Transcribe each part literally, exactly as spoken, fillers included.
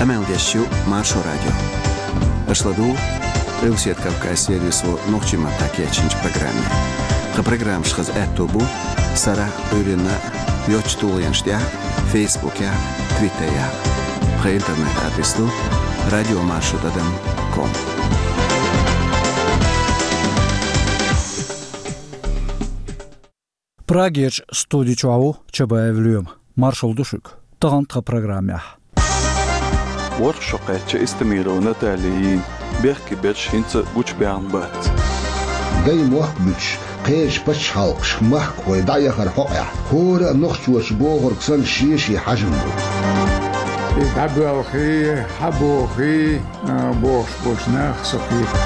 Къамел деш ю Маршо радио. Аша ладугӀу Къилбаседа Кавказан сервисо нохчийн маттахь кечйинчу программе. Тхан программаш хаза аьтто бу сарахь а, Ӏуьйранна а йоцачу тулгӀенаш тӀехь а, Фейсбукехь а, Твиттерехь а. Тхан интернет-адрес ду радиомаршо тӀадам ком. Прагерчу студи чохь ву Чабаев Лоьма. Маршалла ду шуьга. Тахана тхан программехь. ВорхӀ шо кхаьчча Истемирова Наталья йийна бехке берш хӀинца а гучубаьхна бац. Дай мохк буьтуш, кхечу пачхьалкхашка махкахой дӀаяхар хьокъехь, хӀора а нохчочо бохург санна шен-шен хьажам бу. И дӀабоьлхий, хьабохий, а, бохуш болчу наха со кхета.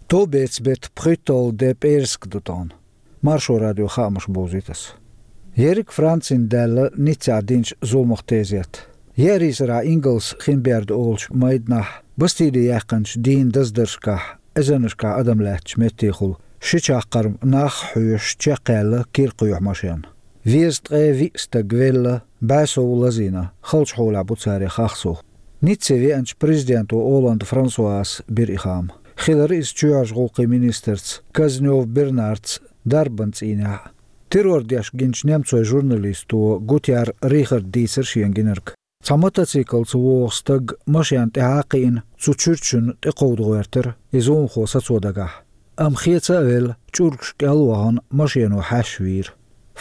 Товбецан беттан пхийтталгӀа де пӀераска ду тахана. Маршо радион хаамаш бовзуьйту ас. Ерриг Францина даьлла Ниццехь динчу зуламах тезет. Еарийсарахь ингалс хин берда олучу майданахь, Бастили яьккхинчу дийнан даздаршкахь эзарнашкахь адам лаьттачу меттехула ши чаккхарма нах а хьоьшуш чекхъяьлла кира кхоьхьу машен. Везткъе виъ стаг велла, бӀе сов лазийна, халчу хьолехь бу царел хах сов. Ницце веанчу президенто Олланд Франсуас бира и хаам. Хилира иза чоьхьарчу гӀуллакхийн министрца Казнёв Бернарца дарбан цӀийнехь а. Террор деш гиначу немцойн журналисто Гутяр Рихарда дийцира шена гинарг. Цхьа мотоциклца вогӀу стаг машенна тӀаьхьа а кхиъна, цу чуьрчунна тӀекховда гӀоьртира, и зуламхо сацо дагахь. Амма хеца а велла, чӀургаш кӀел а вахана, машено хьаьшна вийра.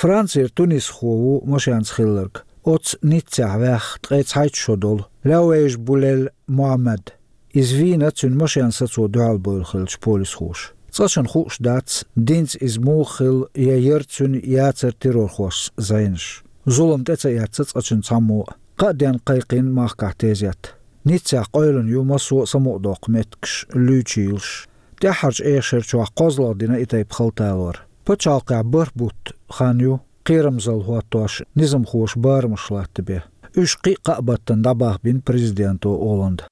Францера тунисхо ву машенца хилларг, оццу Ниццехь ваьхна ткъе цхьайтта шо долу Лаьвейш Булель Мухьаммад. Иза вийна цуьнан машен сацо дуьхьал бевлла хиллачу полисхоша. Цкъачунна хууш дац, динца иза муха хилла я яра цуьнан, яцара террорхошца зӀенаш. Зулам тӀе ца эцна цкъачунна цхьаммо а. Кхаа денна кхайкхийна махкахь тезет. Ниццехь къевлина ю массо а самукъадоккху меттигаш, луьйчийлаш. ТӀаьххьарчу эха шарчохь кхозлагӀа дина и тайпа хала талор. Пачхьалкхехь бархӀ бутт хан ю, кхерамзалла хӀоттош, низамхоша барамаш латтабен. Уьш кхин а кхаа баттана дӀабахбина президенто Олланда.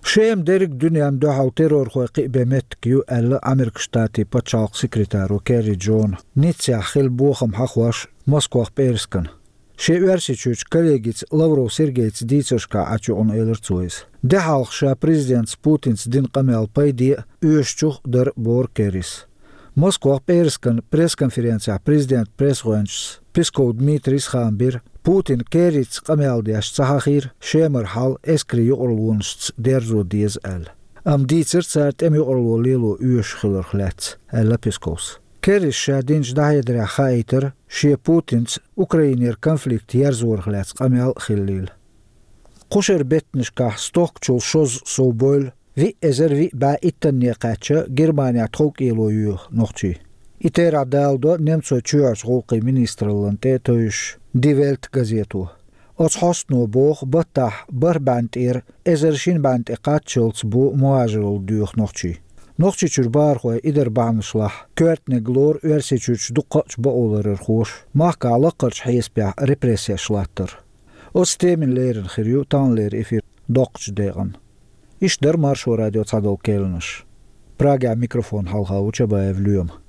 Шема дерриг дуьненна дуьхьал террорхой кхиабен меттиг ю, аьлла Американ Штатийн пачхьалкхан секретаро Керри Джона, Ниццехь хилла бохам хьахош Москох пӀераскана. Шен Оьрсийчуьрчу коллегица Лавров Сергейца дийцаршкахь Ӏачу юкъана элира цо иза. Де хьалха ша президентца Путинца дина къамел пайде а, оьшучух а дара, боху Керрис. Москох пӀераскан пресс-конференцехь президентан пресс-гӀоьнчас Песков Дмитрийс хаам бира, Путина Керрица къамел деш ца хьахийра, Шемара хьал эскарийн юкъарлонашца дерзо деза аьлла. Амма дийцира цара тӀеман юкъарло лело оьшуш хиларх лаьцна, аьлла Песковс. Керрис ша динчу дӀахьедарехь хаийтира, шен Путинца Украинера конфликт ерзорах лаьцна къамел а хиллийла. Кхушара беттанашкахь стохкачул шозза сов бевлла, виъ эзар виъ бӀе иттанне кхаьчча, Германехь тховкӀело йоьху нохчий. И терахь даладо немцойн чоьхьарчу гӀуллакхийн министраллина тӀе а тевжаш Die Welt газето. Оцу хьостано боху, баттахь бархӀ бӀенна тӀера эзар шина бӀенна тӀе кхаччалц бу мухӀажаралла доьху нохчий. Нохчийчуьра бахархой и дар бахьанашлахь коьртаниг лору Оьрсийчуьрчу дуккхачу бакъоларъярхоша, махкахь лаккхарчу хьесапехь репрессеш латтар. Оцу темина леррина хир ю таханлера эфир доккхачу декъана. Иштта дара Маршо радион цхьадолу керланаш. Прагехь микрофон хьалха ву Чабаев Лоьма.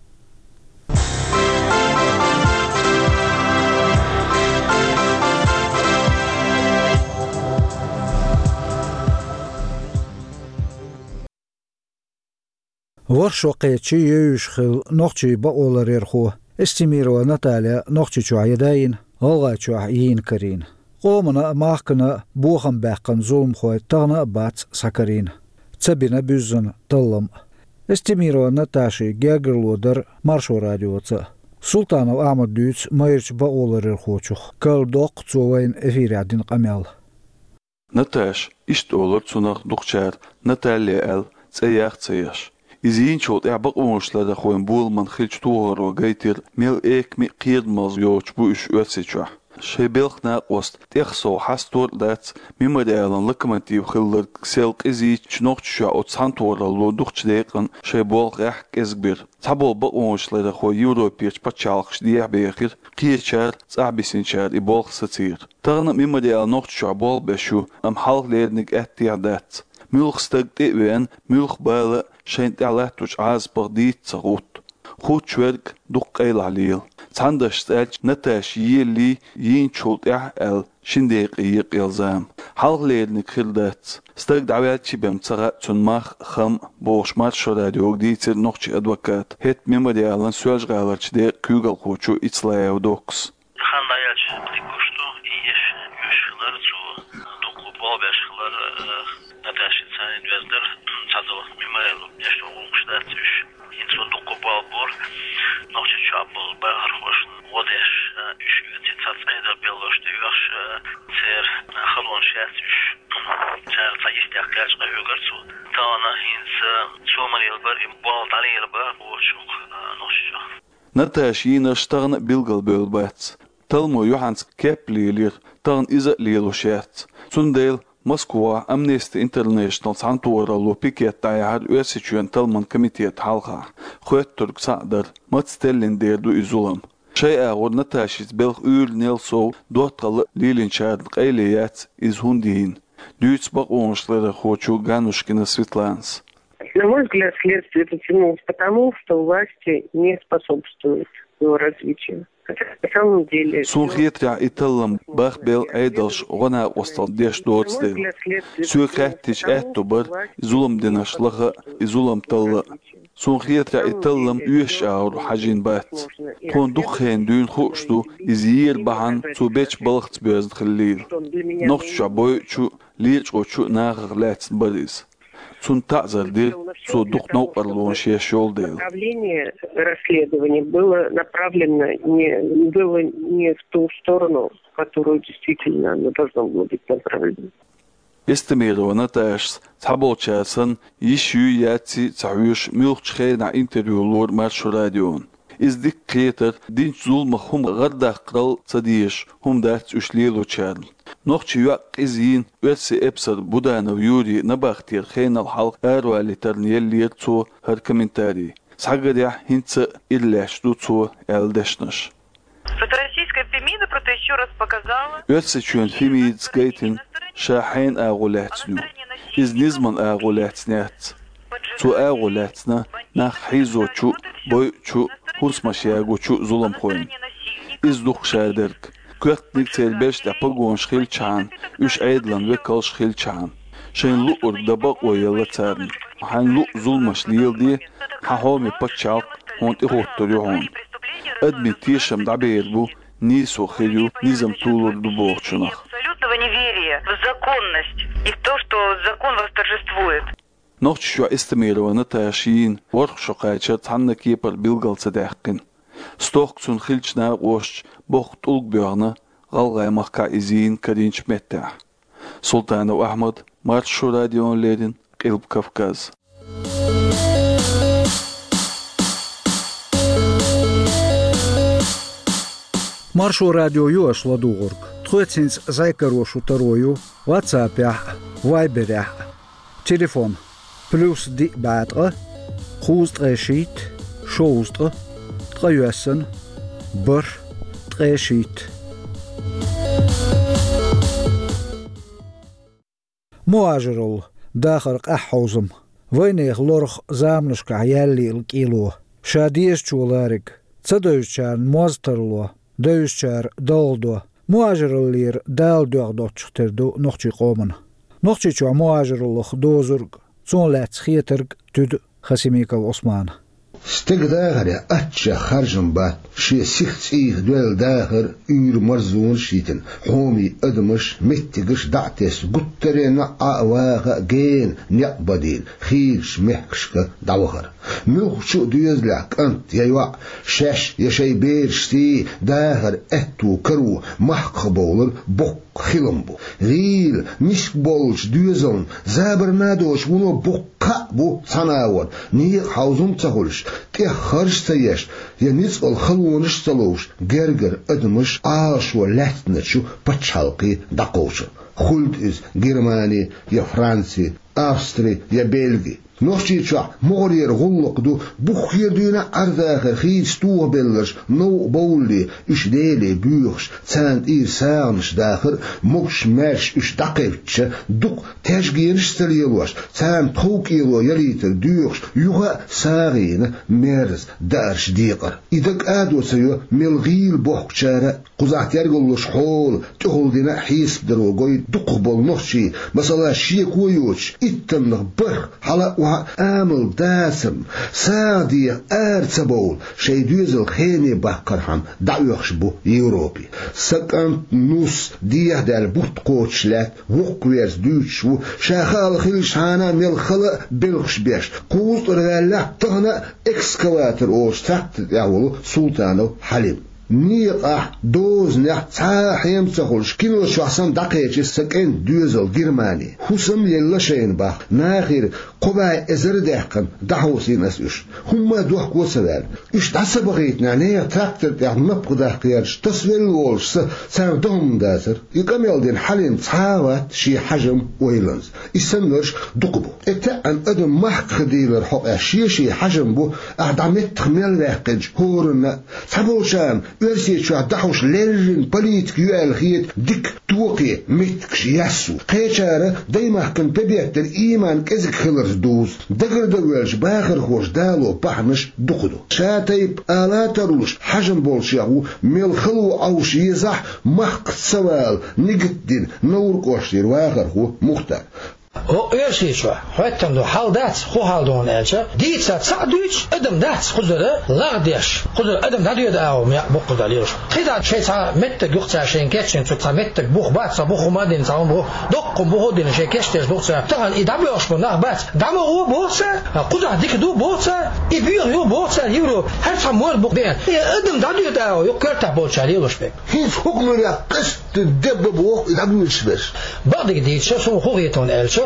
ВорхӀ шо кхеччи евзаш хилла нохчийн бакъоларъярхо Эстемирова Наталья Нохчийчохь ян дайна, ГӀалгӀайчохь йийна карийна. Къомана а, махкана а бохам баьккхина зуламхой тахана а бац схьакарийна, ца бина буьззина таллам а. Эстемирова Наташин гергарло дара Маршо радиоца а. Султанов Ахьмада дуьйцу майрачу бакъоларъярхочух, карладоккху цо вайна эфирехь дина къамел. Наташа, иштта олура цунах дукхачара, Наталья аьлла, цӀе ях а ца еш. Иза йийначул тӀаьхьа бакъонашларъярхойн боламан хиллачу тохаро гайтира, мел эками а кхерамаза йоцуш бу уьш Оьрсийчохь. Шайн белхан накъост тӀех сов хьастор а дац, Мемориалан локомотив хилларг сел къизийча, Нохчийчохь оцу цхьаьнатохаралло дукхачу декъана шайн болх гӀеххьа кӀезиг бира. Цхьаболу бакъонашларъярхой Европерчу пачхьалкхашка дехьабехира, кхечара, цӀахь бисинчара и болх сацийра. Тахана а Мемориал Нохчийчохь болх беш ю, амма хьалха леринарг аьттехьа дац. Муьлхха стаг тӀе а веана, муьлхха бала а шайна тӀехь латточу Ӏазапах дийца ца гӀутту. Хуттуш верг дукха къайлаха лела. Цхьана дашца аьлча, Наташа еллий, йийначул тӀаьхьа аьлла, шин декъе екъаелла зама. Хьалхалерниг хир дац. Стаг дӀаваьлча бен ца хаьа цуьнан мах, хам бохуш, Маршо радиога дийцира нохчийн адвоката, хӀетахь Мемориалан Соьлжа-ГӀаларчу декъан куьйгалхочо Ицлаев Доккас. Хан дӀаяьлча, дика гуш ду, и еш, уьш хилар цо, дуккха болх беш хилар, э, Наташин царна вездар, цхьадолу мемориалан нешто гӀуллакхаш дац уьш. ХӀинца цо дуккха болх бора, Нохчийчохь болу бахархошна гӀо деш, э, уьш оьций цхьа цӀе дан беллош тӀеоьхуш, э, церан, э, халонаш яц уьш. Цара цхьа йистехь кхаьчна къахьоьгура цо. Тахана хӀинца цо ма-лелабара, и болх дӀалелабора вочух, э, Нохчийчохь. Наташин йийнарш тахана а билгалбевлла бац. Талламо юьхьанца кеп лелийра, тахана иза а лелош яц. Цундела Москвахь Amnesty International цхьаьнатохаралло пикет дӀаяьхьира Оьрсийчоьнан талламан комитетан хьалха. Хоьттург цхьаъ дара: маца теллина дер ду и зулам? Шайн агӀор Наташица белхан уьйр-нел сов доттагӀалла а лелийначарна къайле яц иза хӀунда йийна, дуьйцу бакъонашларъярхочо Ганнушкина Светланас. На мой взгляд, следствие затянулось потому, что власти не способствуют его развитию. Хотя на самом деле... Суна хетарехь, и таллам бахбелла Ӏедалша гӀо-накъосталла деш доцу дела. Соьга хаьттича, аьтто бара и зулам динарш лаха а, и зулам талла а. Суна хетарехь, и таллам оьшучу агӀор хьажийна бац. Тхуна дукха хенахь дуьйна хууш ду, иза ера бахьана цо бечу балхаца боьзна хиллийла. Нохчийчохь бойучу а, лечкъочу а нахах лаьцна бара иза. Цунна таӀзар дира, цо дукха новкъарлонаш еш йолу дела. Направление расследования было направлено не, было не в ту сторону, в которую действительно оно должно было быть направлено. Эстемирова Наташас цхьаболчара санна, йиш юй, яций ца хьоьжуш, муьлххачу хенахь интервью лора Маршо радиона. Иза дика кхетара, динчу зуламах хӀума гӀардаккхарал ца дезаш хӀума дац уьш лелочарна. Нохчийн йоӀ къиза йийна оьрсийн эпсар Буданов Юрий набахтера хенал хьалха аравалийтарна еллера цо хӀара комментарий. Схьагарехь, хӀинца а ира лаьтташ ду цо аьлла дешнаш. Что российская Фемида просто ещё раз показала... Оьрсийчоьнан Фемидас гайтина, ша хьенан агӀо лаьцна ю. Иза низаман агӀо лаьцна яц. Цо агӀо лаьцна нах хьийзочу а, бойучу а, хӀусамаш ягочу а зуламхойн. Иза ду-кх шадерг. Коьртаниг церан бераш тӀехь погонаш хилчахьана, уьш Ӏедалан векалш хилчахьана. Шайна луург дан бакъо елла царна. Хьайна луъу зуламаш леладе, хьан хьоме пачхьалкх хьуна тӀехӀуттур ю хьуна. Адамийн тешам дӀабер бу, нийсо хир ю, низам толур ду бохучунах. Абсолютного неверия в законность и в то, что закон восторжествует. Нохчийчохь Эстемирова Наташа йийна ворхӀ шо кхачар цхьанна кепара билгал ца даьккхина. Стохка цунна хиллачу накъосташа боккха тӀулг боьхна ГӀалгӀай махкахь иза йийна карийначу меттехь. Султанов Ахьмад, Маршо радиона леррина, Къилба Кавказ. Маршо радио ю аша ладугӀург. Тхоьца хӀинца зӀе каро шу таро ю WhatsApp-ехь а, Viber-ехь а. Телефон: плюс диъ бӀе ткъа, кхузткъе шийтта, шовзткъа, ткъайоьсна, бархӀ, ткъе шийтта. Мухажиралла, дахар къаьхьа хьовзам. Вайнехан лорах заманашкахь яьллийла кӀело. Ша дезачо лариг, ца девзачарна моз тарло, девзачара далла до. Мухажираллера Дала доьгӀна доцчух тера ду нохчийн къомана. Нохчийчохь мухажираллах дозург, цунах лаьцна хетарг туьду Хасимиков Ӏусмана. Стеган дахарехь аччех харжам бац, шен сиха цӀийх доьлла дахар уьйр-марзонаш а йитина, хьоме адамаш, меттигаш дӀа а тесна, гуттаренна а Ӏа а ваха а гена некъ бан дийна, хийрачу мехкашка дӀавахар. Муьлххачу а доьзалехь кӀант я йоӀ, шаьш я шайн берашций дахар аьтто каро, махках бовлар боккха хилам бу. ГӀийла, миска болчу доьзална забарна а доцуш вуно боккха кхаъ бу цхьана агӀор, некъан хьовзам ца хуьлуш, тӀех харж ца еш, я ницкъала халонаш ца ловш, гергара адамаш Ӏалашо лаьцначу пачхьалкхе дӀакхочур. Хуьлда иза Германи я Франци, Австри я Бельги. Нохчийчохь могӀарера гӀуллакх ду, буххера дуьйна Ӏер-дахар хийца тохабелларш новкъа бовлале, уьш леле боьхуш, царна тӀера сагӀанаш дахар а, могуш-маьрша уьш дӀакхаьчча, дукха таьжгенаш а ца лелош, царна тхов-кӀело ялийтар доьхуш, юха а сагӀина мерза даарш декъар. И дага кӀадо ца йо мел гӀийла бохкучара а. Кхузахь тергаллуш хьола тӀехула дина а хьесап даро гой дукхахболу нохчий, масала, шеко йоцуш, иттаннах бархӀ хьала а, охьа а амал дацарна, сагӀа деха ара ца бовла, шайн доьзал хене баккхархьама дӀаоьхуш бу Европе. Сан кӀант, нус, дехьадаьлла бутт кхочуш лаьтта, вукху верца дуьйцуш ву, ша хаал хиллачхьана а мел хала а белхаш беш, кхузткъара ваьллехь а, тахана а экскаватор олуш трактор тӀехь волу Султанов Хьалим. Некъахь, дозанехь цхьа а хьем ца хуьлуш, кино чохь санна дӀакхечира сан кӀентан доьзал Германи. ХӀусам а елла шайна боху, нахера кхо бӀе эзар а даьккхина, дӀахьовсийна ас уьш. ХӀумма а дохко ца ваьлла. Уьш дӀа ца бахийтинехь, нехан трактор тӀехь напха даккха гӀерташ, тасавелла волуш сан, царна дан хӀума дацара. И къамел дина Хьалим цхьа а вац шен хьажам ойланза. И саннарш дукха бу. ТӀетаьӀӀина адам махках дийлар хьокъехь шен-шен хьажам бу, ахь дӀа меттах мел ваьккхинчу хӀоранна а. Цхьаболчарна Оьрсийчохь дӀахьуш леррина политика ю аьлла хета дика, токхе меттигаш яссо. Кхечара даймахкана пе беттара ийман кӀезиг хиларца дузу. Дагардан воьлча бахархоша дало бахьанаш дукха ду. Ша тайпа ала а тарлуш, хьажам болчех ву, мел хало Ӏовша езахь а, махкаца ца вала нигат дина Невран кӀоштара вахархо Мухтар. ХӀокху Оьрсийчохь хӀоьттина ду, хьал дац, хӀун хьал ду хьуна аьлча, дийца цхьаъ дуьйцуш адам дац кхузара лагӀдеш, кхузара адам дӀадоьду агӀо мекъ бу кхузара лелаш. КхидӀа шайн цхьа меттиг ю-кх цара шайна кечйина, цу цхьа меттиг бух бац, цхьа бух хӀума а дина, цхьа хӀума бух, доккха бух а дина, шайн кечдеш ду-кх цара. Тахана и дӀабоьлхуш бу нах бац, дӀа ма гӀо боху цара, кхузахь дика ду боху цара, и боьха ю боху цара Европа, хӀара цхьа мор бу бен. И адам дӀадоьду агӀо ю-кх коьртахь болчара лелаш берг. ХӀинца хӀокху муьрехь къаьстта дебба боху и дӀабуьйлуш берш. Бакъдерг дийцича, суна хӀун хета хьуна аьлча,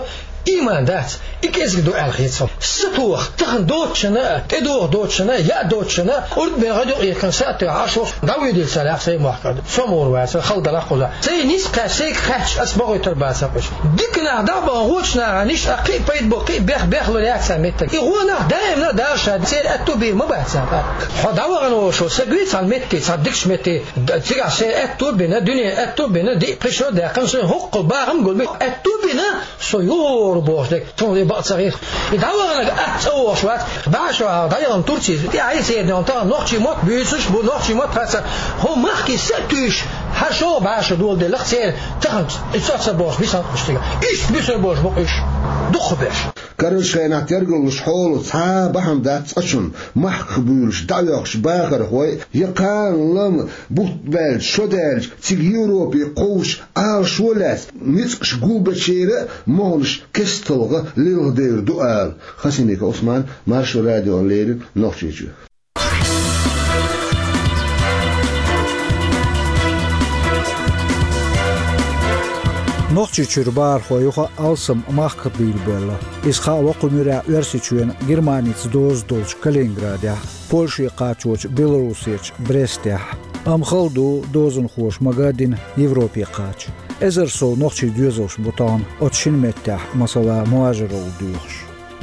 ийман дац, и кӀезиг ду аьлла хета суна. Сатоха, тахана доцучунна а, тӀедогӀу доцучунна а, яа доцучунна а, кӀурд бен гӀадъюкъ йихкина сатоьхна Ӏаш ву, дӀавоьдийла ца лаьа сайн мохк. Со мур вацара, хала далахь кхузахь. Сайн ницкъ кхаьчча, сайн кхаьчча, ас бохуьйтур бац кхуьш. Дика нах дӀа а бахана, гӀочу нахана иштта кхин а пайда бу, кхин а бех, бех лур яц цара меттиг. И гӀо нах даимна а Дала ша церан аьтту бийр ма бац царна. Хьо дӀавахана волуш волу саг вуй цхьана метте, цхьана дикачу метте, д-, цигахь шайн аьтту а бина, дуьне аьтту а бина, диъ-пхи шо а даьккхина, шайн хӀокху бахам гулбина, аьтту а бина, со юхур бохуш дерг, суна и бакъ ца хета. И дӀаваханарг атта цӀа вогӀуш вац, бӀе шо хьалха дӀаяхана Турци, тӀаьхьа йисернехь тахана нохчий мотт буьйцуш бу, нохчий мотт хьаца, хӀо махкий са а туьйсуш, хӀара шо бӀе шо доладелла-кх церан, тахана и цӀа ца бохуш, бисанкъаш цига. Иштта буьсур болуш бу-кх уьш, дукхахберш. Карарчу хенахь тергаллуш хьоло цхьа а бахьана дац цкъачунна, махках буьйлуш дӀаоьхучу бахархой, я кхана лама бутт баьлча, шо даьлча, цига Европе кховш, Ӏалашо а лаьцна, ницкъаш гулбечеран а моханаш кестта гӀа лилхадевр ду ала. Хасимиков Ӏусман, Маршо радиона леррина, Нохчийчоь. Нохчийчуьра бахархой юха а алсам махках буьйлабелла. Иза хаало кху муьрехь Оьрсийчоьнан Германица доза долчу Калининградехь, Польше кхачочу Белоруссерчу Брестехь. Амма хала ду дозанхоша магадина Европе кхача. Эзар сов нохчийн доьзалш бу тахана оцу шина меттехь, масала, мухӀажаралла доьхуш.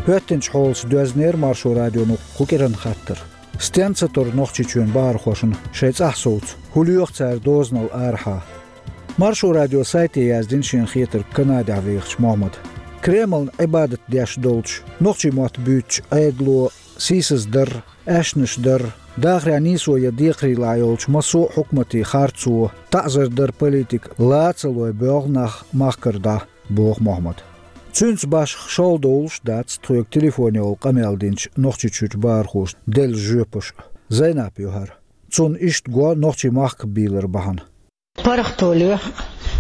ХӀоьттинчу хьолаца доьзнера Маршо радионо кху кӀиранан хаттар. Стенна ца тора Нохчийчоьнан бахархошна шайн цӀахь совца, хӀун лоьху цара дозанал арахьа? Маршо радион сайте яздина шена хетарг Канадехь вехачу Мохьмада. Кремлна Ӏибадат деш долчу, нохчийн мотт буьйцучу Ӏедало сийсаздар, аьшнаш дар, дахарехь нийсо ян декхарийлахь йолчу массо а хьукматийн харцо, таӀзар дар политика лан ца лой боьлху нах махкара дӀа, боху Мохьмада. Цуьнца башха шолгӀа довлуш а дац тхоьга телефонехула къамел динчу Нохчийчуьрчу бахархошна делла жоьпаш а. Зайнап ю хӀара. Цунна иштта го нохчийн махках бийлар бахьана. ПаргӀато лоьху,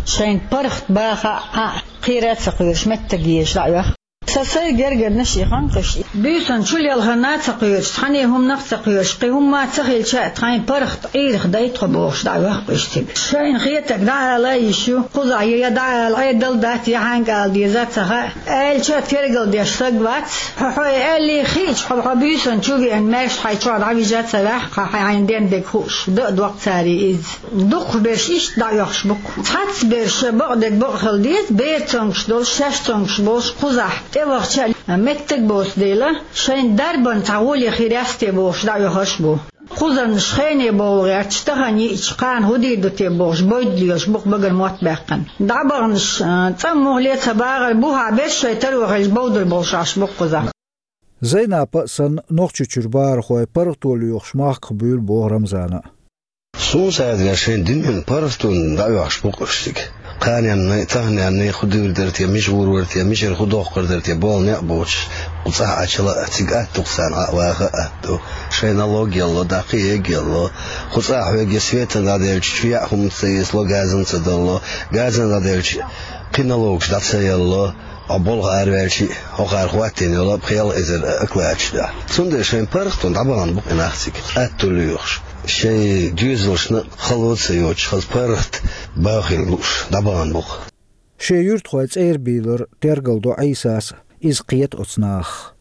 шайна паргӀат баха а, кхера а ца кхоьруш, меттиг езаш дӀаоьху. Сан сайн гергарнаш и ханкъаш, буьйсанна чулелхана а ца кхоьруш, цхьанне хӀуманах а ца кхоьруш, кхин хӀумма а ца хилча а, тхайн паргӀат Ӏийрах дай тхо бохуш дӀаоьху-кх уьш цига. Шайна хетарг дӀаала а йиш ю, кхузахь я, я дӀаала Ӏедал дац, я хьаьнга ала деза а ца хаьа. Аьлча а тергал деш саг вац. Хьо хьой аьллий хиъча, хьо, хьо буьйсанна чу веана, маьрша хьайн чохь дӀавижа а ца ваьхьа, хьан хьайн ден дерг хууш, дан а доккху цара иза. Дукхахберш иштта дӀаоьхуш бу-кх. Цхьаццаберш бакъдерг бакъ хила деза, бер цомгуш долуш, шаьш цомгуш болуш кхузахь. ТӀевахча меттаг боцу дела, шайн дарбан цхьа гӀоле хир яц те бохуш дӀаоьхуш бу. Кхузарнаш хене бовла гӀерташ, тахана йиъча кхана хӀун дийр ду те бохуш, бойда лелаш бу-кх багара мотт баьккхина. ДӀабаханаш, а, цӀа муха ле ца багӀар, бухахь берш шайн таро хилча бовдар болуш Ӏаш бу-кх кхуза. Зайнапа а санна, Нохчийчуьра бахархой паргӀато лоьхуш махках буьйлу боху Рамзана. Суна сацарехь шайн дуьненан паргӀатонна дӀаоьхуш бу-кх уьш цига. Кханенна, таханенна хӀун дийр дара те, мича гӀур вара те, мичара хӀун дохкур дара те, болу некъ боцуш, кху цӀахь Ӏачу а, цига атта ду-кх царна, Ӏа а ваха а атта ду. Шайн налог ялло, дӀа кхин а ялло. Кху цӀахь хьоьга светана дӀаделча, чу яа хӀума ца эцало, газана ца далло, газана дӀаделча, кхин налогаш дӀа ца ялло. Хьо болх араваьлча, хӀокхара хӀоттийна йолу пхи-ялх эзар оклад ду. Цундела шайн паргӀатонна дӀабахана бу-кх и нах цига, атта лоьхуш. Шайн доьзалшна хало а ца йоцуш, хаза паргӀат бахийна лууш дӀабахана бу-кх. Шен юьртахой цӀера бийлар тергал до Ӏийсас, иза кхета оцу нахах.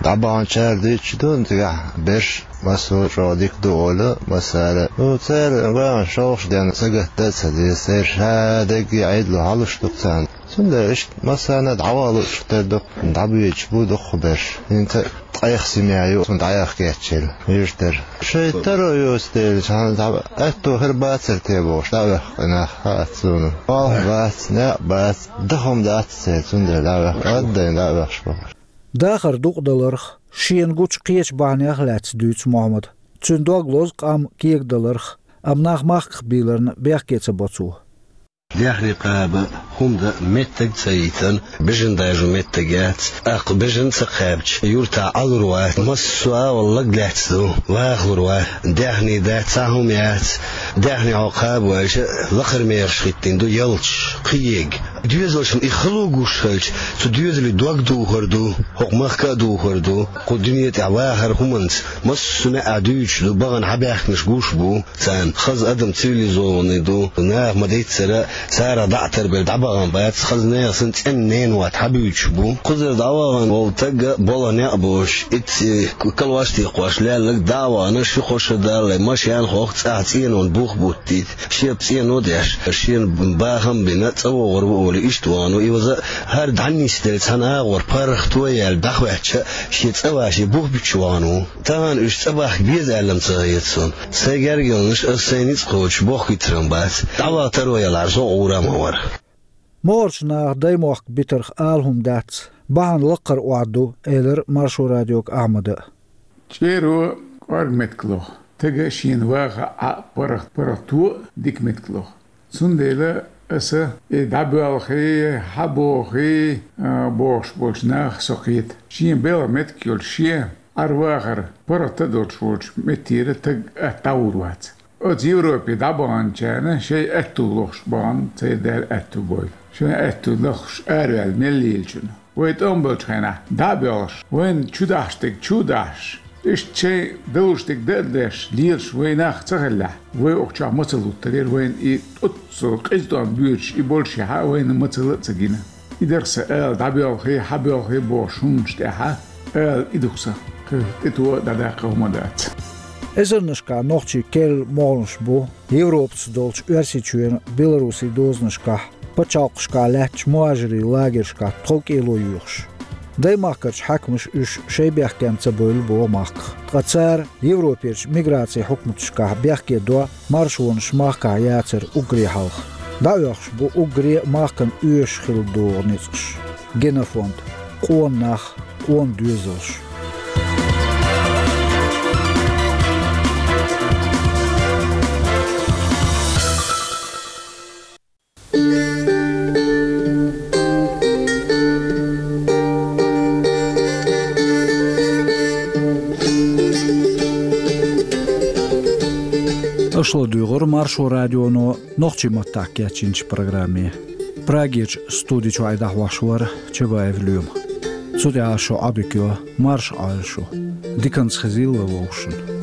ДӀабаханчара дуьйцуш ду-кх цигахь, берш массо а чӀогӀа дика ду олу массара. Ну, церан ган шовхаш денна сагатдан а ца деза, церан ша дерриге а Ӏедало хьалуш ду-кх царна. Цундела иштта массарна а дӀаваха лууш тера ду-кх, дӀабоьдуш бу дуккха берш. ХӀинца ткъех семья ю, цунна дӀаяха кечйина юьртара. Шайн таро йоцу дела, цхьана дӀа атто хир бацара те бохуш, дӀаоьху-кх и нах, хаьа-кх суна. Болх бац, некъ бац, даха хӀума дац церан, цундела дӀаоьху, аргадайна дӀаоьхуш бу-кх. Дахар дукъадаларх, шена гучу кхечу бахьанех а лаьцна дуьйцу Мохьмада. Цуьнан дог лозу къам кегадаларх, амма нах махках бийларна бехке ца бо цо. Даьхни кхаба, хӀума дан меттиг а ца йитина, бежан дажо меттиг яц. ТӀаккха бежан а ца кхаьбча, юьртахь Ӏалур вац. Массо а агӀор лаг лаьцна ду, вахалур вац. Даьхни дац, цхьа хӀума яц. Даьхни хьо кхаба вайша, лакхара мехаш хӀиттийна ду, ялташ, кхиега. Доьзалшна и хало гуш хилча, цу доьзале дог духур ду, хӀокху махка а духур ду. Кху дуьне тӀехь вахар хӀуманца массо а неӀ дуьйцуш ду, бахана хьабаьхкинарш гуш бу. Царна хаза адам цивилизованный ду, наха ма-дийццара, царах дӀа а тарбелла дӀабахана бац, хаза нехан санна цӀена ненан мотт хьабуьйцуш бу. Кхузара дӀавахана волу стаг а болх некъ боцуш, итт калош а текхош лелларг дӀа а вахана, ши-кхо шо далале, машен хохку, цӀахь цӀенонан бух буттийта, шен цӀено а деш, шена бахам а бина, цӀа вогӀур ву олий, иштта вахана ву. И ваза хӀара дӀанисделла цхьана агӀор паргӀато яьлла дӀахӀоьттича, шен цӀа ван, шен бух буьтуш вахана ву. Тахана уьш цӀа бахка беза аьлла-м ца хета суна. Сайн герга йолуш, ас сайн ницкъ кхочуш боххуьйтур-м бац. ДӀаваха таро ялахьара, со гӀур а ма вара. МогӀарчу наха даймохк битарх ала хӀума дац, бахьана лаккхара охьа ду, элира Маршо радиога Ахьмада. ЧӀеро кӀорга меттиг лоху, стага шена ваха Ӏа паргӀат-, паргӀато а дика меттиг лоху. Цундела аса и дӀабоьлхий, хьабохий, а, бохуш болчу нахах со кхета. Шен белхан меттиг йолчу, шен Ӏар-вахар паргӀат а долуш волчу меттера стаг атта дӀагӀур вац. Оцу Европе дӀабаханчарна шайн аьтту лохуш бахана, церан Дала аьтту бойла. Шайн аьтту лохуш араваьлла мел лелачунна. Вай тӀом болчу хенахь дӀа а боьлхуш, вайна чу дахьаш дерг чу а дахьаш, иштта шайн далуш дерг дан а деш, лелаш вай нах ца хиллехь, вай окху чохь мацалла хӀуттарера, вайна и оццул къиза тӀом боьдуш и боллушехь а вайна мацалла а ца гина. И дара сан ала, дӀабоьлхий, хьабоьлхий бохуш хӀуманаш тӀехь а ала, и ду-кх сан. Кхин тӀетоха а, дӀадаккха а хӀума дац. Эзарнашкахь нохчий керла могӀанаш бу Европаца долчу Оьрсийчоьнан, Белоруссин дозанашкахь, пачхьалкхашкахь лаьттачу мухӀажирийн лагершкахь тховкӀело йоьхуш. Даймахкарчу хьаькамаша уьш шайн бехкенна ца бевлла боху махках. Ткъа цара Европерчу миграцин хьукматашкахь бехке до маршонаш махкахь яцар уггаре хьалха. ДӀаоьхуш бу уггаре а махкана оьшуш хила догӀу ницкъаш. Генофонд. Къона нах, къона доьзалш. Аша ладуьйгӀура Маршо радионо нохчийн маттахь кечйинчу программе. Прагерчу студи чуьра дӀахьош вара Чабаев Лоьма. Цу тӀехь шун Ӏодика йо, марша Ӏойла шу. Диканца хезийла вовшашна.